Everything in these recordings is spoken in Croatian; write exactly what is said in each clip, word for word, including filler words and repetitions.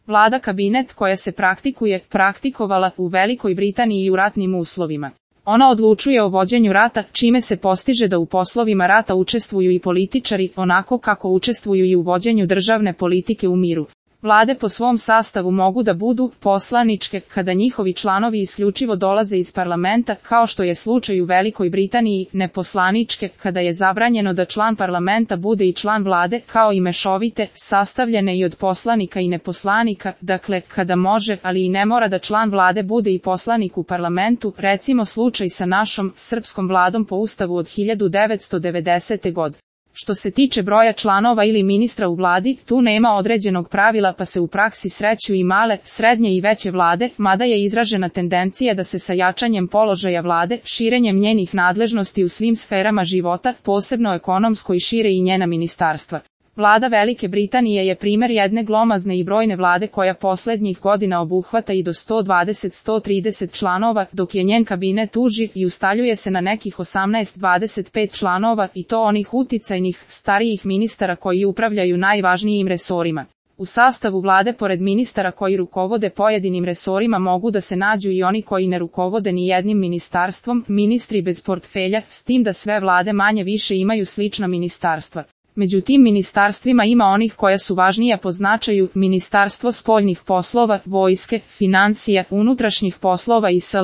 Vlada kabinet koja se praktikuje, praktikovala u Velikoj Britaniji i u ratnim uslovima. Ona odlučuje o vođenju rata, čime se postiže da u poslovima rata učestvuju i političari, onako kako učestvuju i u vođenju državne politike u miru. Vlade po svom sastavu mogu da budu poslaničke, kada njihovi članovi isključivo dolaze iz parlamenta, kao što je slučaj u Velikoj Britaniji, neposlaničke, kada je zabranjeno da član parlamenta bude i član vlade, kao i mešovite, sastavljene i od poslanika i neposlanika, dakle, kada može, ali i ne mora da član vlade bude i poslanik u parlamentu, recimo slučaj sa našom, srpskom vladom po ustavu od hiljadu devetsto devedesete. godine. Što se tiče broja članova ili ministra u vladi, tu nema određenog pravila pa se u praksi sreću i male, srednje i veće vlade, mada je izražena tendencija da se sa jačanjem položaja vlade, širenjem njenih nadležnosti u svim sferama života, posebno ekonomskoj, šire i njena ministarstva. Vlada Velike Britanije je primer jedne glomazne i brojne vlade koja poslednjih godina obuhvata i do sto dvadeset do sto trideset članova, dok je njen kabinet uži i ustaljuje se na nekih osamnaest do dvadeset pet članova, i to onih uticajnih, starijih ministara koji upravljaju najvažnijim resorima. U sastavu vlade pored ministara koji rukovode pojedinim resorima mogu da se nađu i oni koji ne rukovode ni jednim ministarstvom, ministri bez portfelja, s tim da sve vlade manje više imaju slična ministarstva. Među tim ministarstvima ima onih koja su važnija po značaju, Ministarstvo spoljnih poslova, vojske, financija, unutrašnjih poslova i sl.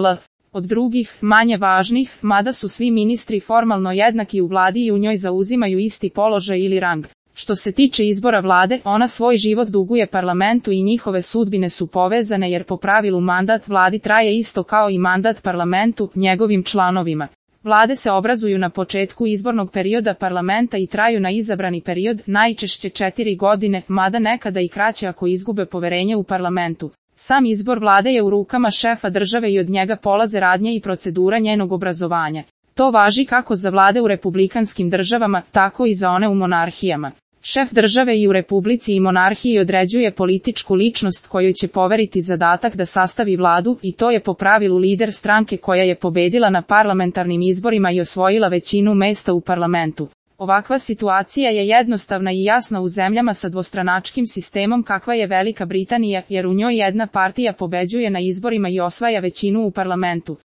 Od drugih, manje važnih, mada su svi ministri formalno jednaki u vladi i u njoj zauzimaju isti položaj ili rang. Što se tiče izbora vlade, ona svoj život duguje parlamentu i njihove sudbine su povezane jer po pravilu mandat vladi traje isto kao i mandat parlamentu, njegovim članovima. Vlade se obrazuju na početku izbornog perioda parlamenta i traju na izabrani period, najčešće četiri godine, mada nekada i kraće ako izgube poverenje u parlamentu. Sam izbor vlade je u rukama šefa države i od njega polaze radnje i procedura njenog obrazovanja. To važi kako za vlade u republikanskim državama, tako i za one u monarhijama. Šef države i u republici i monarhiji određuje političku ličnost kojoj će poveriti zadatak da sastavi vladu, i to je po pravilu lider stranke koja je pobedila na parlamentarnim izborima i osvojila većinu mesta u parlamentu. Ovakva situacija je jednostavna i jasna u zemljama sa dvostranačkim sistemom kakva je Velika Britanija, jer u njoj jedna partija pobeđuje na izborima i osvaja većinu u parlamentu.